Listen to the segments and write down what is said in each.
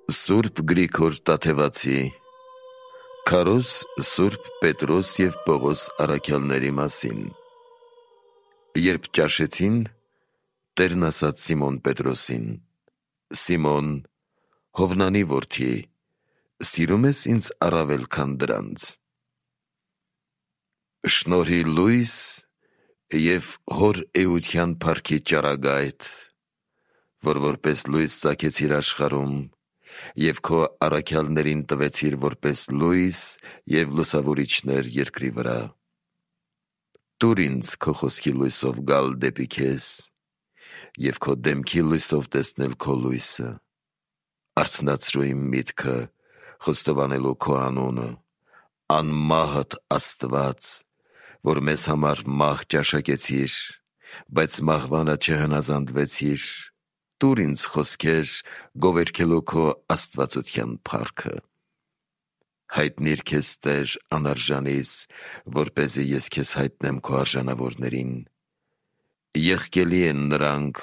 Սուրբ Գրիգոր Տաթևացի, Քարոզ Սուրբ Պետրոս և Պողոս առաքյալների մասին։ Երբ ճաշեցին, Տերն ասաց Սիմոն Պետրոսին. «Սիմոն, Հովնանի որդի, սիրում ես ինձ առավել քան դրանց»։ Շնորհի լույս և հոր էության փառքի ճառագայթ, որ որպես լույս ծագեցիր աշխարհում, և քո առաքյալներին տվեցիր որպես լույս և լուսավորիչներ երկրի վրա։ Տուր ինձ քո խոսքի լույսով գալ դեպի քեզ և քո դեմքի լույսով տեսնել քո լույսը։ Արթնացրու իմ միտքը խոստովանելու քո անունը, անմահդ Աստված, որ մեզ համար մահ ճաշակեցիր, բայց մահվանը չհնազանդվեցիր։ Տուր ինձ խոսքեր գովերգելու քո աստվածության փառքը։ Հայտնիր քեզ Տեր անարժանիս, որպեսզի ես քեզ հայտնեմ քո արժանավորներին։ Եղկելի են նրանք,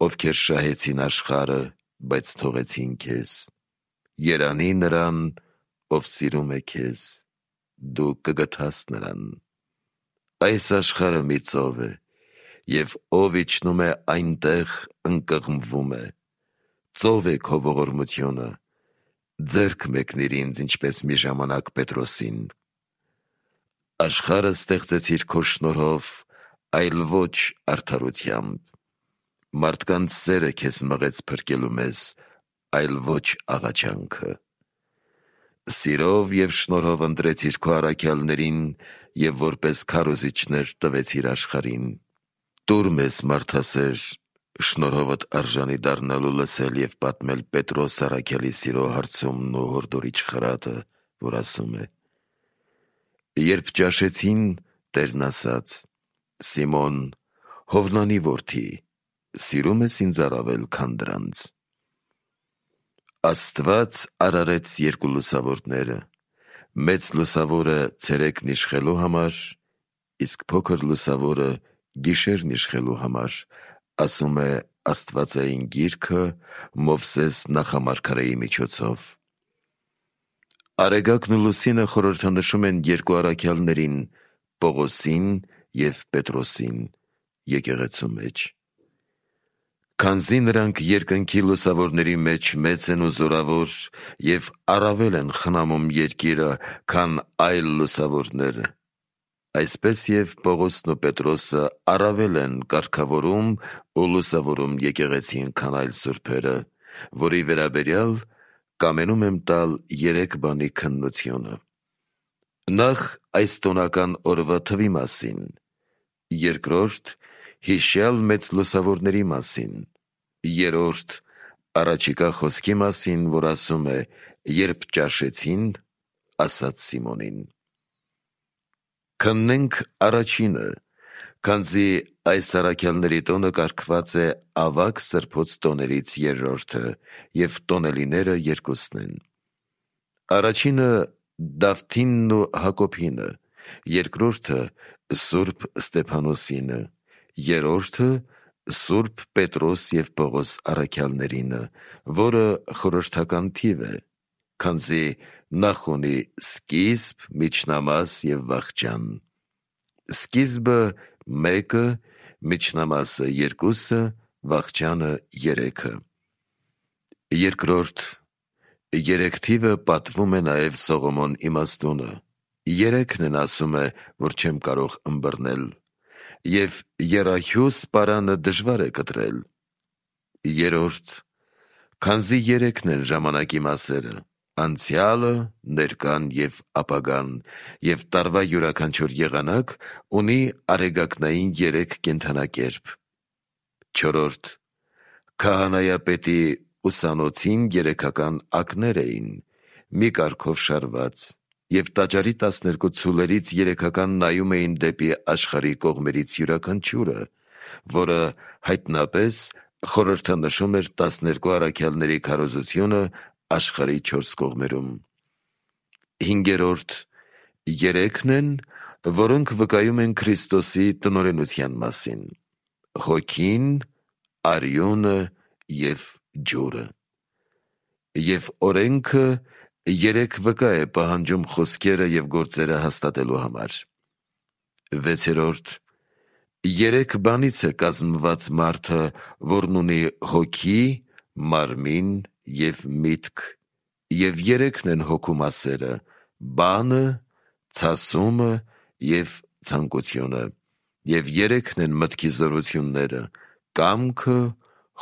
ովքեր շահեցին աշխարհը, բայց թողեցին քեզ։ Երանի նրան, ով սիրում է քեզ, դու կգթաս նրան։ Այս աշխարհը մի ծով է, և ով իջնում է այնտեղ, ընկղմվում է։ Ծով է քո ողորմությունը, ձեռք մեկնիր ինձ, ինչպես մի ժամանակ Պետրոսին։ Աշխարհը ստեղծեցիր քո շնորհով, այլ ոչ արդարությամբ։ Մարդկանց սերը քեզ մղեց փրկելու մեզ, այլ ոչ աղաչանքը։ Սիրով և շնորհով ընտրեցիր քո առաքյալներին և որպես քարոզիչներ տվեցիր աշխարհին։ Տուր մեզ, մարդասեր, շնորհովդ արժանի դառնալու լսել և պատմել Պետրոս առաքյալի սիրո հարցումն ու հորդորիչ խրատը, որ ասում է. Երբ ճաշեցին, Տերն ասաց. «Սիմոն, Հովնանի որդի, սիրում ես ինձ առավել քան դրանց»։ Աստված արարեց երկու լուսավորները, մեծ լուսավորը ցերեկն իշխելու համար, իսկ փոքր լուսավորը գիշերն իշխելու համար, ասում է Աստվածային Գիրքը Մովսես նախամարգարեի միջոցով։ Արեգակն ու լուսինը խորհրդանշում են երկու առաքյալներին՝ Պողոսին և Պետրոսին, եկեղեցու մեջ։ Քանզի նրանք երկնքի լուսավորների մեջ մեծ են ու զորավոր և առավել են խնամում երկիրը, քան այլ լուսավորներ, այսպես և Պողոսն ու Պետրոսը առավել են կարգավորում ու լուսավորում եկեղեցին, քան այլ սուրբերը, որի վերաբերյալ կամենում եմ տալ 3 բանի քննությունը. Նախ այս տոնական օրվա թվի մասին, երկրորդ հիշյալ մեծ լուսավորների մասին, երրորդ առաջիկա խոսքի մասին, որ ասում է. «Երբ ճաշեցին, ասաց Սիմոնին»։ Քննենք առաջինը, քանզի այս առաքյալների տոնը կարգված է ավագ սրբոց տոներից երրորդը, և տոնելիները երկուսն են։ Առաջինը Դավթինն ու Հակոբինը, երկրորդը Սուրբ Ստեփանոսինը, երրորդը Սուրբ Պետրոս և Պողոս առաքյալներինը, որը խորհրդական թիվ է, քանզի նախ ունի սկիզբ, միջնամաս և վախճան։ Սկիզբը 1, միջնամասը 2, վախճանը 3։ Երկրորդ 3 թիվը պատվում է նաև Սողոմոն իմաստունը, 3-ն են ասում է, որ չեմ կարող ըմբռնել, և եռահյուս պարանը դժվար է կտրել։ Երրորդ, քանզի 3-ն են ժամանակի մասերը, անցյալը, ներկան և ապագան, և տարվա յուրաքանչյուր եղանակ ունի արեգակնային 3 կենդանակերպ։ Չորրորդ, քահանայապետի ուսանոցին 3-ական ակներ էին, մի կարգով շարված, և տաճարի 12 ցուլերից 3-ական նայում էին դեպի աշխարհի կողմերից յուրաքանչյուրը, որը հայտնապես խորհրդանշում էր 12 առաքյալների քարոզությունը աշխարհի 4 կողմերում։ Հինգերորդ 3-ն են, որոնք վկայում են Քրիստոսի տնօրենության մասին. Հոգին, արյունը և ջուրը։ Եվ օրենքը 3 վկա է պահանջում խոսքերը և գործերը հաստատելու համար։ 6. 3 բանից է կազմված մարդը, որն ունի հոգի, մարմին և միտք, և 3-ն են հոգու մասերը՝ բանը, ցասումը և ցանկությունը, և 3-ն են մտքի զորությունները՝ կամքը,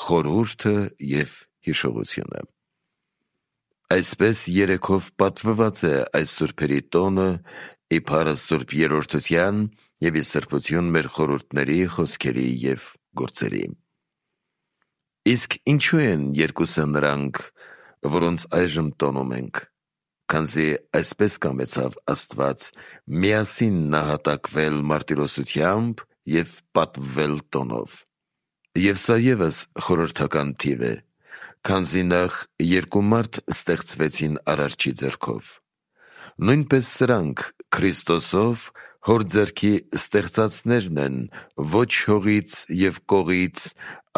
խորհուրդը և հիշողությունը։ Այսպես 3-ով պատվված է այս սուրբերի տոնը, իբարը Սուրբ Երրորդության և ի սրբություն մեր խորհուրդների, խոսքերի և գործերի։ Իսկ ինչու են երկուսը նրանք, որոնց այժմ տոնում ենք, քանզի այսպես կամեցավ Աստված միասին նահատակվել մարտիրոսությամբ և պատվվել տոնով։ Եվ սա ևս խորհրդական թիվ է, քանզի նախ 2 մարդ ստեղծվեցին Արարչի ձեռքով։ Նույնպես սրանք Քրիստոսով Հոր ձեռքի ստեղծածներն են ոչ հողից և կողից,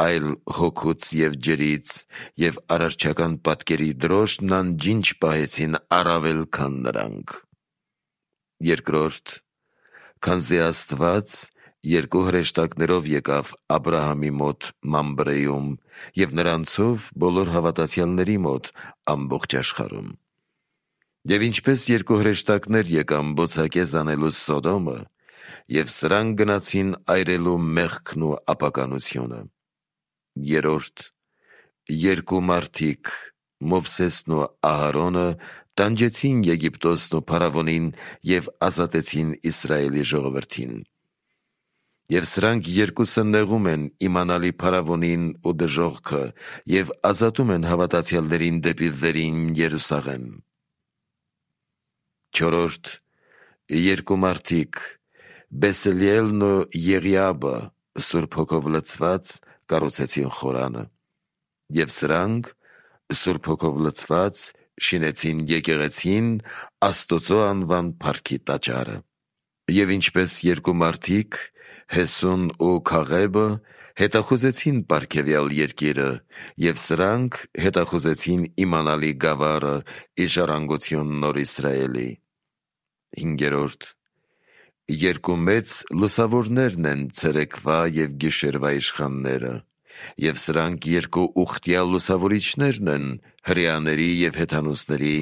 այլ հոգուց և ջրից, և արարչական պատկերի դրոշտն անջինջ պահեցին առավել քան նրանք։ 2. Քանզի Աստված 2 հրեշտակներով եկավ Աբրահամի մոտ Մամբրեում և նրանցով բոլոր հավատացյալների մոտ ամբողջ աշխարհում։ Եվ ինչպես 2 հրեշտակներ եկան բոցակեզ անելու Սոդոմը, և սրանք գնացին այրելու մեղքն ու ապականությունը։ 3. 2 մարդիկ՝ Մովսեսն ու Ահարոնը, տանջեցին Եգիպտոսն ու փարավոնին և ազատեցին Իսրայելի ժողովրդին։ Եվ սրանք 2-ը նեղում են իմանալի փարավոնին ու դժոխքը և ազատում են հավատացյալներին դեպի վերին Երուսաղեմ։ 4. 2 մարդիկ՝ Բեսելիելն ու Եղիաբը, Սուրբ Հոգով լցված, կառուցեցին խորանը։ Եվ սրանք, Սուրբ Հոգով լցված, շինեցին եկեղեցին, Աստծո անվան փառքի տաճարը։ Եվ ինչպես 2 մարդիկ՝ Հեսուն ու Քաղեբը, հետախուզեցին պարգևյալ երկիրը, և սրանք հետախուզեցին իմանալի գավառը, ի ժառանգություն Նոր Իսրայելի։ 5. 2 մեծ լուսավորներն են ցերեկվա և գիշերվա իշխանները, և սրանք 2 ուխտյալ լուսավորիչներն են հրեաների և հեթանոսների,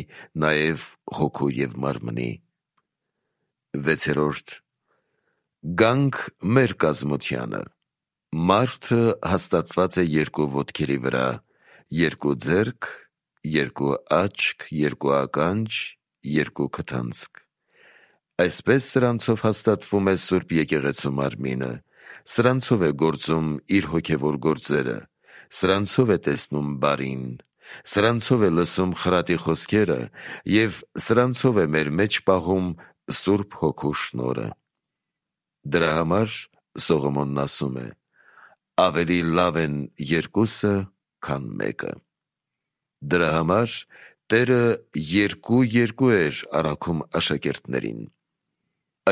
նաև հոգու և մարմնի։ 6. Գանք մեր կազմությանը. մարդը հաստատված է 2 ոտքերի վրա, 2 ձեռք, 2 աչք, 2 ականջ, 2 քթանցք։ Այսպես սրանցով հաստատվում է Սուրբ Եկեղեցու մարմինը, սրանցով է գործում իր հոգևոր գործերը, սրանցով է տեսնում բարին, սրանցով է լսում խրատի խոսքերը և սրանցով է մեր մեջ պահում Սուրբ Հոգու շնորհը։ Դրա համար Սողոմոնն ասում է. ավելի լավ են 2-ը, քան 1-ը։ Դրա համար Տերը 2-2 էր առաքում աշակերտներին։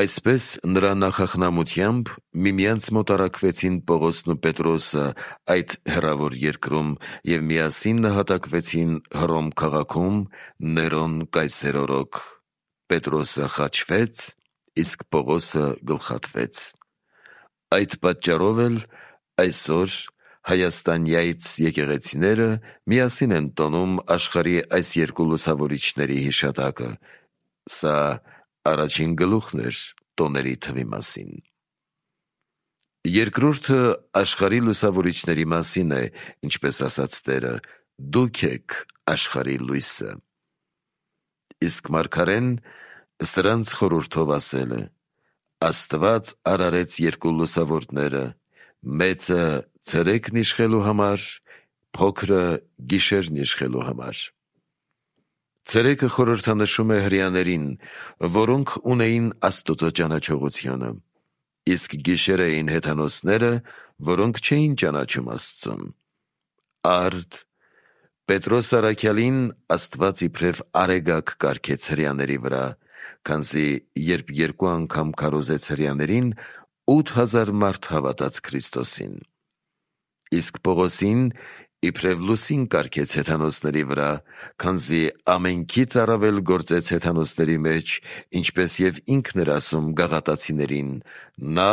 Այսպես նրա նախախնամությամբ միմյանց մոտ առաքվեցին Պողոսն ու Պետրոսը այդ հեռավոր երկրում և միասին նահատակվեցին Հռոմ քաղաքում Ներոն կայսեր օրոք։ Պետրոսը խաչվեց, իսկ Պողոսը գլխատվեց։ Այդ պատճառով էլ այսօր հայաստանյաց եկեղեցիները միասին են տոնում աշխարհի այս 2 լուսավորիչների հիշատակը։ Սա առաջին գլուխն էր տոների թվի մասին։ Երկրորդը աշխարհի լուսավորիչների մասին է, ինչպես ասաց Տերը. «Դուք եք աշխարհի լույսը»։ Իսկ մարգարեն սրանց խորհրդով ասել է. «Աստված արարեց 2 լուսավորները, մեծը ցերեկն իշխելու համար, փոքրը գիշերն իշխելու համար»։ Ցերեկը խորհրդանշում է հրեաներին, որոնք ունեին Աստծո ճանաչողությունը, իսկ գիշերը էին հեթանոսները, որոնք չէին ճանաչում Աստծուն։ Արդ Պետրոս առաքյալին Աստված իբրև արեգակ կարգեց հրեաների վրա, քանզի երբ 2 անգամ քարոզեց հրեաներին, 8000 մարդ հավատաց Քրիստոսին։ Իսկ Պողոսին իբրև լուսին կարգեց հեթանոսների վրա, քանզի ամենքից առավել գործեց հեթանոսների մեջ, ինչպես և ինքն էր ասում գաղատացիներին. նա,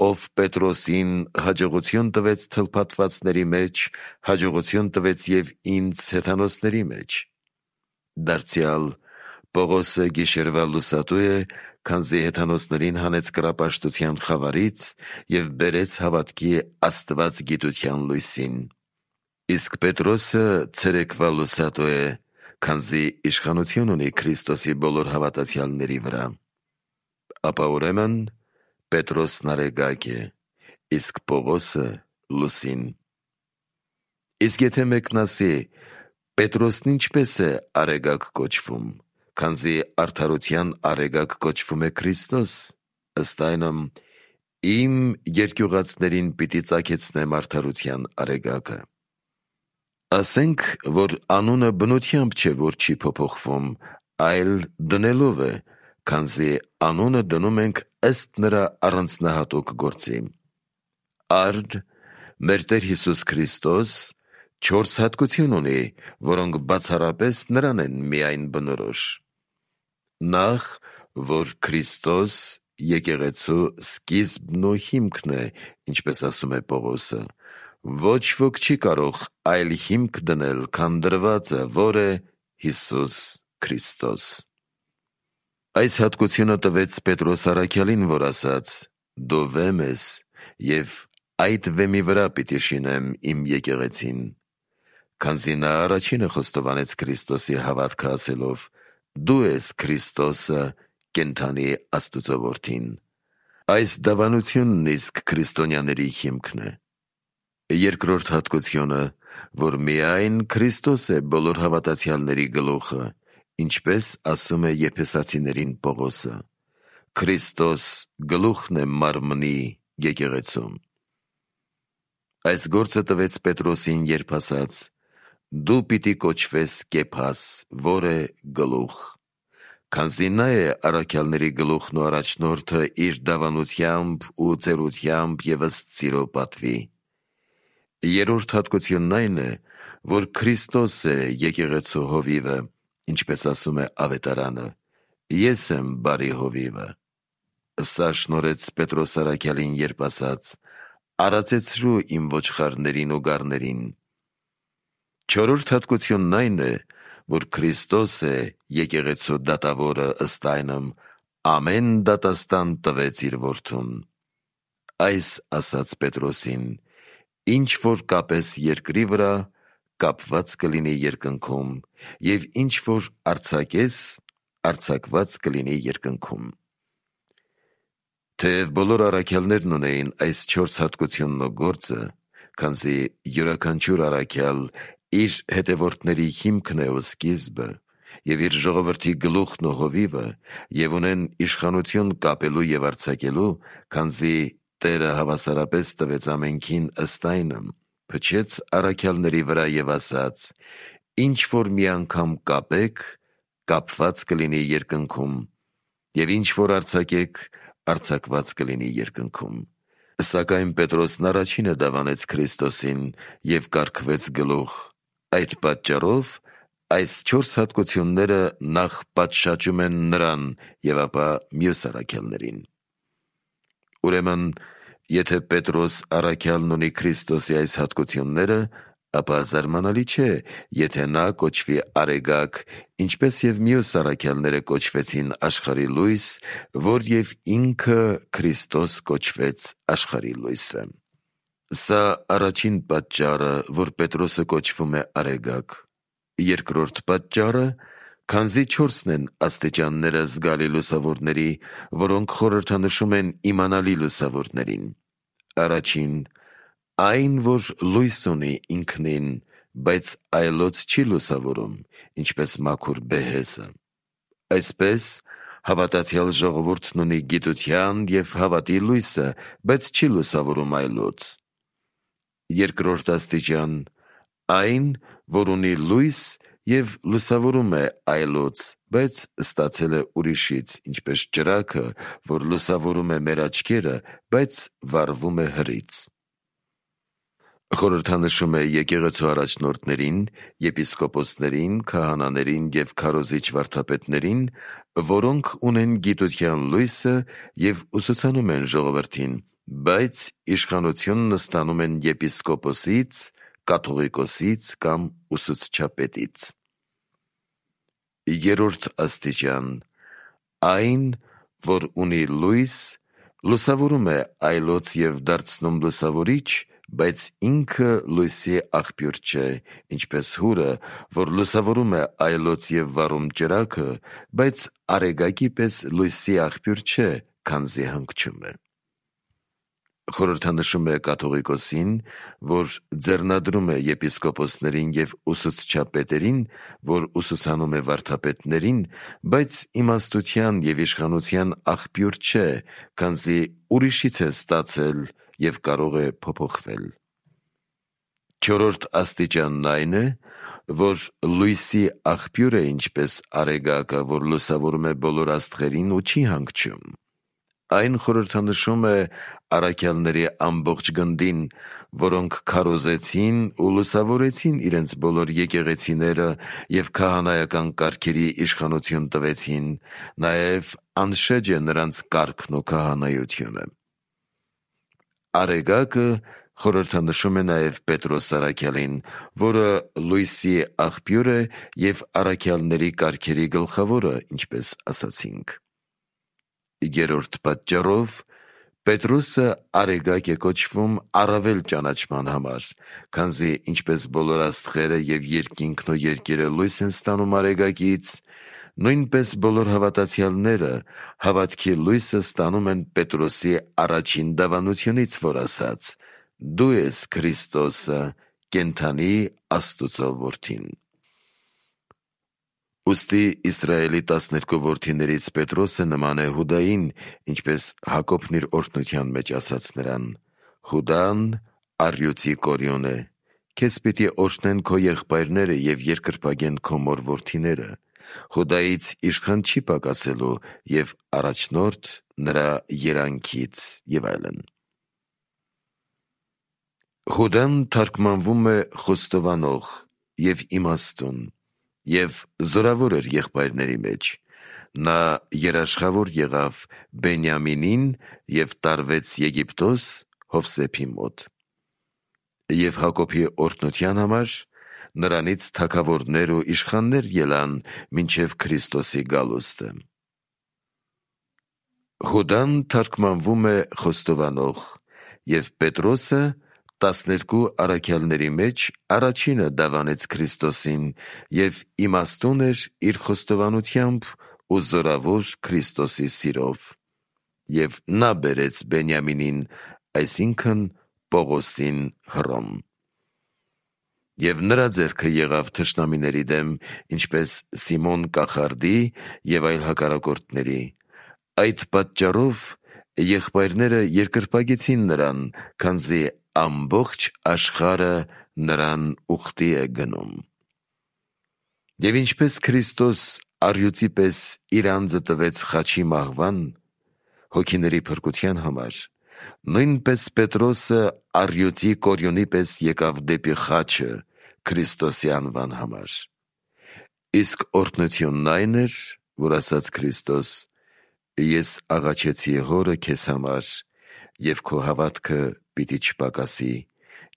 ով Պետրոսին հաջողություն տվեց թլփատվածների մեջ, հաջողություն տվեց և ինձ հեթանոսների մեջ։ Դարձյալ Պողոսը գիշերվա լուսատու է, քանզի հեթանոսներին հանեց կռապաշտության խավարից և բերեց հավատքի Աստված գիտության լույսին։ Իսկ Պետրոսը ցերեկվա լուսատու է, քանզի իշխանություն ունի Քրիստոսի բոլոր հավատացյալների վրա։ Ապա ուրեմն Պետրոսն արեգակ է, իսկ Պողոսը լուսին։ Իսկ եթե մեկն ասի. Պետրոսն ինչպես է արեգակ կոչվում, քանզի արդարության արեգակ կոչվում է Քրիստոս, ըստ այնմ իմ երկյուղածներին պիտի ծագեցնեմ արդարության արեգակը։ Ասենք, որ անունը բնությամբ չէ, որ չի փոփոխվում, այլ դնելով է, քանզի անունը դնում ենք ըստ նրա առանձնահատուկ գործի։ Արդ մեր Տեր Հիսուս Քրիստոս 4 հատկություն ունի, որոնք բացառապես նրան են միայն բնորոշ։ Նախ, որ Քրիստոս եկեղեցու սկիզբն ու հիմքն է, ինչպես ասում է Պողոսը, ոչ ոք չի կարող այլ հիմք դնել, քան դրվածը, որ է Հիսուս Քրիստոս։ Այս հատկությունը տվեց Պետրոս առաքյալին, որ ասաց. դու վեմ ես, և այդ վեմի վրա պիտի շինեմ իմ եկեղեցին, քանզի նա առաջինը խոստովանեց Քրիստոսի հավատքը ասելով. դու ես Քրիստոսը, կենդանի Աստծո որդին։ Այս դավանությունն իսկ քրիստոնյաների հիմքն է։ Երկրորդ հատկությունը, որ միայն Քրիստոս է բոլոր հավատացյալների գլուխը, ինչպես ասում է Եփեսացիներին Պողոսը. Քրիստոս գլուխն է մարմնի եկեղեցում։ Այս գործը տվեց Պետրոսին, երբ ասաց. դու պիտի կոչվես Կեփաս, որ է գլուխ, քանզի նա է առաքյալների գլուխն ու առաջնորդը իր դավանությամբ ու ծերությամբ և ըստ սիրո պատվի։ Երրորդ հատկությունն այն է, որ Քրիստոս է եկեղեցու հովիվը, ինչպես ասում է Ավետարանը. ես եմ բարի հովիվը։ Սա շնորհեց Պետրոս առաքյալին, երբ ասաց. արածեցրու իմ ոչխարներին ու գառներին։ Չորրորդ հատկությունն այն է, որ Քրիստոս է եկեղեցու դատավորը, ըստ այնմ ամեն դատաստան տվեց իր որդուն։ Այս ասաց Պետրոսին. ինչ որ կապես երկրի վրա, կապված կլինի երկնքում, և ինչ որ արձակես, արձակված կլինի երկնքում։ Թեև բոլոր առաքյալներն ունեին այս 4 հատկությունն ու գործը, քանզի յուրաքանչյուր առաքյալ իր հետևորդների հիմքն է ու սկիզբը, և իր ժողովրդի գլուխն ու հովիվը, և ունեն իշխանություն կապելու և արձակելու, քանզի Տերը հավասարապես տվեց ամենքին ըստ այնմ, փչեց առաքյալների վրա և ասաց. ինչ որ մի անգամ կապեք, կապված կլինի երկնքում, և ինչ որ արձակեք, արձակված կլինի երկնքում։ Սակայն Պետրոսն առաջինը դավանեց Քրիստոսին և կարգվեց գլուխ։ Այդ պատճառով այս 4 հատկությունները նախ պատշաճում են նրան և ապա մյուս առաքյալներին։ Ուրեմն, եթե Պետրոս առաքյալն ունի Քրիստոսի այս հատկությունները, ապա զարմանալի չէ, եթե նա կոչվի արեգակ, ինչպես և մյուս առաքյալները կոչվեցին աշխարհի լույս, որ և ինքը Քրիստոս կոչվեց աշխարհի լույսը։ Սա առաջին պատճառը, որ Պետրոսը կոչվում է արեգակ։ Երկրորդ պատճառը, քանզի 4-ն են աստիճանները զգալի լուսավորների, որոնք խորհրդանշում են իմանալի լուսավորներին։ Առաջին, այն, որ լույս ունի ինքնին, բայց այլոց չի լուսավորում, ինչպես մաքուր բեհեսը։ Այսպես, հավատացյալ ժողովուրդն ունի գիտության և հավատի լույսը, բայց չի լուսավորում այլոց։ Երկրորդ աստիճան, այն, որ ունի լույս և լուսավորում է այլոց, բայց ստացել է ուրիշից, ինչպես ճրագը, որ լուսավորում է մեր աչքերը, բայց վառվում է հրից։ Խորհրդանշում է եկեղեցու առաջնորդներին, եպիսկոպոսներին, քահանաներին և քարոզիչ վարդապետներին, որոնք ունեն գիտության լույսը և ուսուցանում են ժողովրդին, բայց իշխանությունն ստանում են եպիսկոպոսից, կաթողիկոսից կամ ուսուցչապետից։ Երրորդ աստիճան. այն, որ ունի լույս, լուսավորում է այլոց և դարձնում լուսավորիչ, բայց ինքը լույսի աղբյուր չէ, ինչպես հուրը, որ լուսավորում է այլոց և վառում ճրագը, բայց արեգակի պես լույսի աղբյուր չէ, քանզի հանգչում է։ Խորհրդանշում է կաթողիկոսին, որ ձեռնադրում է եպիսկոպոսներին և ուսուցչապետերին, որ ուսուցանում է վարդապետներին, բայց իմաստության և իշխանության աղբյուր չէ, քանզի ուրիշից է ստացել և կարող է փոփոխվել։ Չորրորդ աստիճանն այն է, որ լույսի աղբյուր է ինչպես արեգակը, որ լուսավորում է բոլոր աստղերին ու չի հանգչում։ Այն խորհրդանշում է առաքյալների ամբողջ գնդին, որոնք քարոզեցին ու լուսավորեցին իրենց բոլոր եկեղեցիները և քահանայական կարգերի իշխանություն տվեցին, նաև անշեջ է նրանց կարգն ու քահանայությունը։ Արեգակը խորհրդանշում է նաև Պետրոս առաքյալին, որը լույսի աղբյուր է և առաքյալների կարգերի գլխավորը, ինչպես ասացինք։ Երրորդ պատճառով Պետրոսը արեգակ է կոչվում առավել ճանաչման համար, քանզի ինչպես բոլոր աստղերը և երկինքն ու երկիրը լույս են ստանում արեգակից, նույնպես բոլոր հավատացյալները հավատքի լույսը ստանում են Պետրոսի առաջին դավանությունից, որ ասաց. «Դու ես Քրիստոսը, կենդանի Աստծո որդին»։ Ուստի Իսրայելի 12 որդիներից Պետրոսը նման է Հուդային, ինչպես Հակոբն իր օրհնության մեջ ասաց նրան. «Հուդան առյուծի կորյուն է, քեզ պիտի օրհնեն քո եղբայրները և երկրպագեն քո մոր որդիները, Հուդայից իշխան չի պակասելու և առաջնորդ նրա երանքից» և այլն։ Հուդան թարգմանվում է խոստովանող և իմաստուն և զորավոր էր եղբայրների մեջ։ Նա երաշխավոր եղավ Բենյամինին և տարվեց Եգիպտոս Հովսեփի մոտ։ Եվ Հակոբի օրհնության համար նրանից թագավորներ ու իշխաններ ելան մինչև Քրիստոսի գալուստը։ Հուդան թարգմանվում է խոստովանող, և Պետրոսը 12 առաքյալների մեջ առաջինը դավանեց Քրիստոսին և իմաստուն էր իր խոստովանությամբ ու զորավոր Քրիստոսի սիրով։ Եվ նա բերեց Բենյամինին, այսինքն Պողոսին, Հռոմ։ Եվ նրա ձեռքը եղավ թշնամիների դեմ, ինչպես Սիմոն կախարդի և այլ հակառակորդների։ Այդ պատճառով եղբայրները երկրպագեցին նրան, քանզի ամբողջ աշխարհը նրան ուխտի է գնում։ Եվ ինչպես Քրիստոս առյուծի պես իր անձը տվեց խաչի մահվան, հոգիների փրկության համար, նույնպես Պետրոսը առյուծի կորյունի պես եկավ դեպի խաչը Քրիստոսի անվան համար։ Իսկ օրհնությունն այն էր, որ ասաց Քրիստոս. «Ես աղաչեցի Հորը քեզ համար, և քո հավատքը պիտի չպակասի,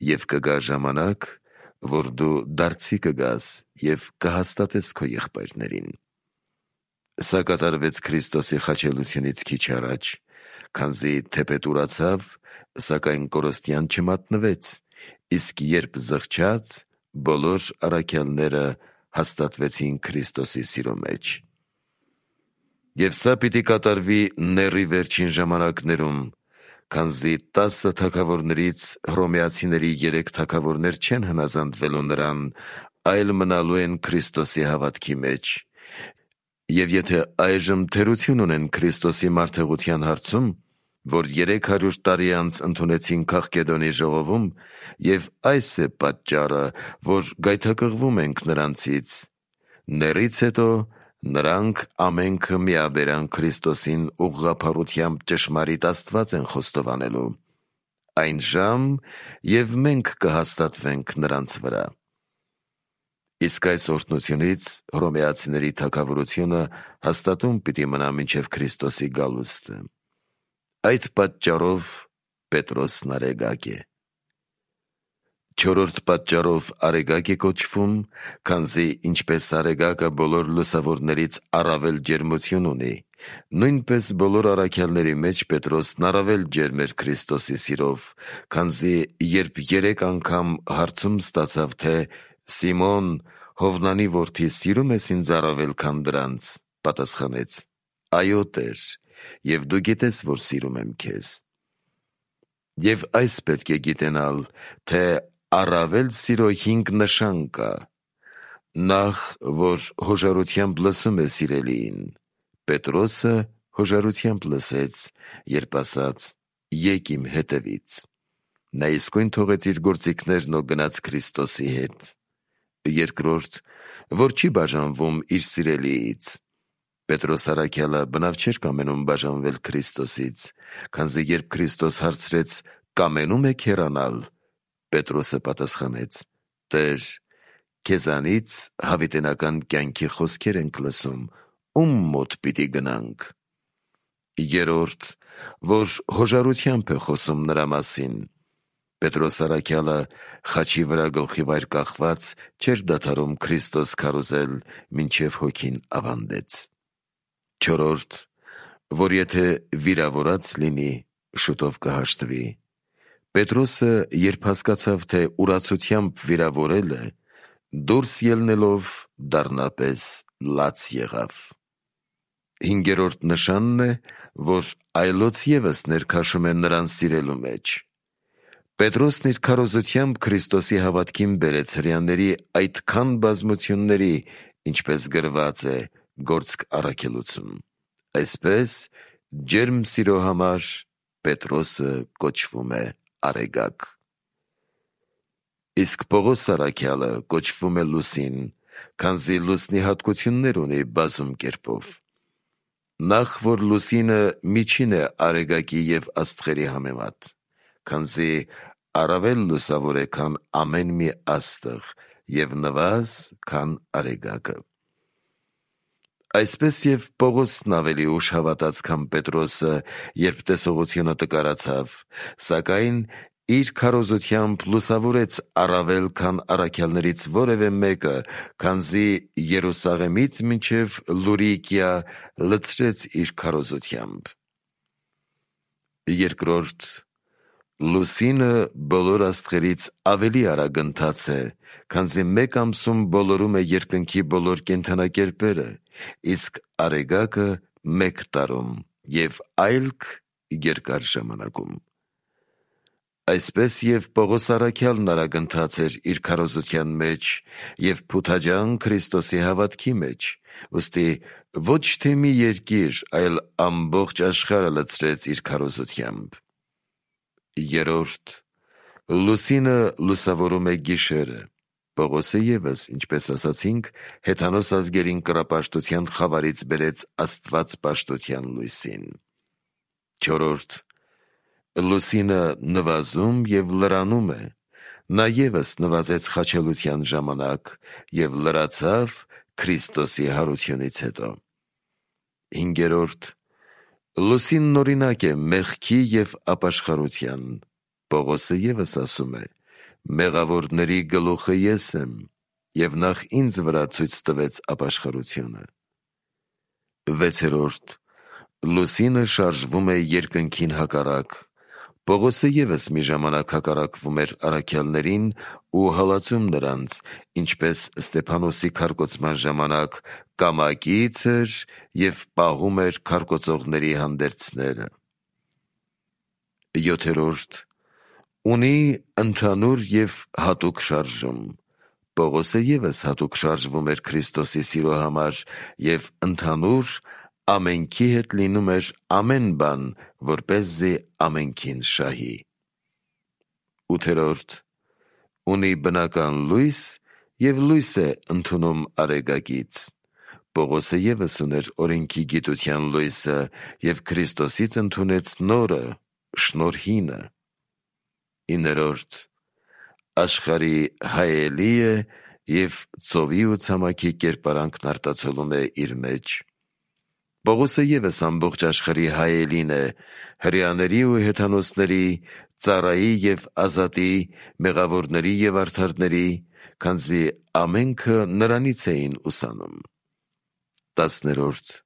և կգա ժամանակ, որ դու դարձի կգաս և կհաստատես քո եղբայրներին»։ Սա կատարվեց Քրիստոսի խաչելությունից քիչ առաջ, քանզի թեպետ ուրացավ, սակայն կորստյան չմատնվեց, իսկ երբ զղջաց, բոլոր առաքյալները հաստատվեցին Քրիստոսի սիրո մեջ։ Եվ սա պիտի կատարվի նեռի վերջին ժամանակներում, քանզի 10 թագավորներից հռոմեացիների 3 թագավորներ չեն հնազանդվելու նրան, այլ մնալու են Քրիստոսի հավատքի մեջ։ Եվ եթե այժմ թերություն ունեն Քրիստոսի մարդեղության հարցում, որ 300 տարի անց ընդունեցին Քաղկեդոնի ժողովում, և այս է պատճառը, որ գայթակղվում ենք նրանցից, նեռից հետո նրանք ամենքը միաբերան Քրիստոսին ուղղափառությամբ ճշմարիտ Աստված են խոստովանելու։ այն ժամ, և մենք կհաստատվենք նրանց վրա։ Իսկ այս օրհնությունից հռոմեացիների թագավորությունը հաստատում պիտի մնա մինչև Քրիստոսի գալուստը։ Այդ պատճառով Պետրոսն արեգակ է։ Չորրորդ պատճառով արեգակ է կոչվում, քանզի ինչպես արեգակը բոլոր լուսավորներից առավել ջերմություն ունի, նույնպես բոլոր առաքյալների մեջ Պետրոսն առավել ջերմ էր Քրիստոսի սիրով, քանզի երբ 3 անգամ հարցում ստացավ, թե «Սիմոն, Հովնանի որդի, սիրում ես ինձ առավել, քան դրանց», պատասխանեց. «Այո, Տեր, և դու գիտես, որ սիրում եմ քեզ»։ Եվ այս պետք է գիտենալ, թե առավել սիրո 5 նշան կա. նախ, որ հոժարությամբ լսում է սիրելիին։ Պետրոսը հոժարությամբ լսեց, երբ ասաց. «Եկ իմ հետևից»։ Նա իսկույն թողեց իր գործիքներն ու գնաց Քրիստոսի հետ։ Երկրորդ, որ չի բաժանվում իր սիրելիից։ Պետրոս առաքյալը բնավ չէր կամենում բաժանվել Քրիստոսից, քանզի երբ Քրիստոս հարցրեց. «Կամենում եք հեռանալ», Պետրոսը պատասխանեց. «Տեր, քեզանից հավիտենական կյանքի խոսքեր ենք լսում, ում մոտ պիտի գնանք»։ Երրորդ, որ հոժարությամբ է խոսում նրա մասին։ Պետրոս առաքյալը խաչի վրա գլխիվայր կախված չէր դադարում Քրիստոս քարոզել, մինչև հոգին ավանդեց։ Չորրորդ, որ եթե վիրավորած լինի, շուտով կհաշտվի։ Պետրոսը, երբ հասկացավ, թե ուրացությամբ վիրավորել է, դուրս ելնելով դառնապես լաց եղավ։ Հինգերորդ նշանն է, որ այլոց ևս ներքաշում է նրան սիրելու մեջ։ Պետրոսն իր քարոզությամբ Քրիստոսի հավատքին բերեց հրեաների այդքան բազմությունների, ինչպես գրված է Գործք առաքելություն։ Այսպես, ջերմ սիրո համար Պետրոսը կոչվում է արեգակ։ Իսկ Պողոս առաքյալը կոչվում է Լուսին, քանզի լուսնի հատկություններ ունի բազում կերպով։ Նախ, որ Լուսինը միջին է արեգակի և աստղերի համեմատ, քանզի առավել լուսավոր է, քան ամեն մի աստղ, և նվազ, քան արեգակը։ Այսպես և Պողոսն ավելի ուշ հավատաց, քան Պետրոսը, երբ տեսողությունը տկարացավ, սակայն իր քարոզությամբ լուսավորեց առավել, քան առաքյալներից որևէ մեկը, քանզի Երուսաղեմից մինչև Լուրիկիա լցրեց իր քարոզությամբ։ Երկրորդ, Լուսինը բոլոր աստղերից ավելի արագընթաց է, քանզի մեկ ամսում բոլորում է երկնքի բոլոր կենդանակերպերը, իսկ արեգակը 1 տարում և այլք երկար ժամանակում։ Այսպես և Պողոս առաքյալն արագընթաց էր իր քարոզության մեջ և փութաջան Քրիստոսի հավատքի մեջ, ուստի ոչ թե մի երկիր, այլ ամբողջ աշխարհը լցրեց իր քարոզությամբ։ Երրորդ, Լուսինը լուսավորում է գիշերը։ Պողոսը ևս, ինչպես ասացինք, հեթանոս ազգերին կռապաշտության խավարից բերեց աստվածպաշտության լույսին։ Չորրորդ, Լուսինը նվազում և լրանում է։ Նա ևս նվազեց խաչելության ժամանակ և լրացավ Քրիստոսի հարությունից հետո։ Հինգերորդ, Լուսինն օրինակ է մեղքի և ապաշխարության։ Պողոսը ևս ասում է. «Մեղավորների գլուխը ես եմ, և նախ ինձ վրա ցույց տվեց ապաշխարությունը»։ Վեցերորդ, Լուսինը շարժվում է երկնքին հակառակ։ Պողոսը ևս մի ժամանակ հակառակվում էր առաքյալներին ու հալածում նրանց, ինչպես Ստեփանոսի քարկոծման ժամանակ կամակից էր և պահում էր քարկոծողների հանդերձները։ Յոթերորդ, ունի ընդհանուր և հատուկ շարժում։ Պողոսը ևս հատուկ շարժվում էր Քրիստոսի սիրո համար և ընդհանուր ամենքի հետ լինում էր ամեն բան, որպեսզի ամենքին շահի։ Ութերորդ, ունի բնական լույս և լույս է ընդունում արեգակից։ Պողոսը ևս ուներ օրենքի գիտության լույսը և Քրիստոսից ընդունեց նորը, շնորհինը։ 9. Աշխարհի հայելի է և ծովի ու ցամաքի կերպարանքն արտացոլում է իր մեջ։ Պողոսը ևս ամբողջ աշխարհի հայելին է, հրեաների ու հեթանոսների, ծառայի և ազատի, մեղավորների և արդարների, քանզի ամենքը նրանից էին ուսանում։ 10.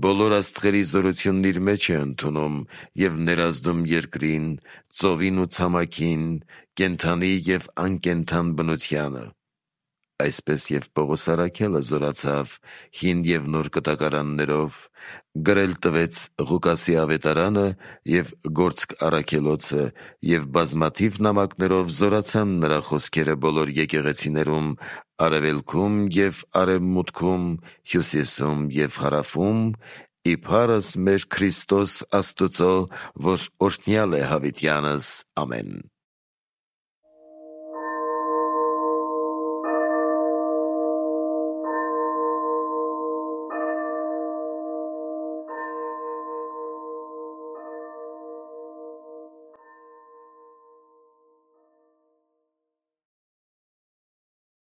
Բոլոր աստղերի զորությունն իր մեջ է ընդունում և ներազդում երկրին, ծովին ու ցամաքին, կենդանի և անկենդան բնությանը։ Այսպես և Պողոս առաքյալը զորացավ հին և նոր կտակարաններով, գրել տվեց Ղուկասի ավետարանը և Գործք առաքելոցը, և բազմաթիվ նամակներով զորացան նրա խոսքերը բոլոր եկեղեցիներում արևելքում և արևմուտքում, հյուսիսում և հարավում, ի փառս մեր Քրիստոս Աստուծո, որ օրհնյալ է հավիտյանս։ Ամեն։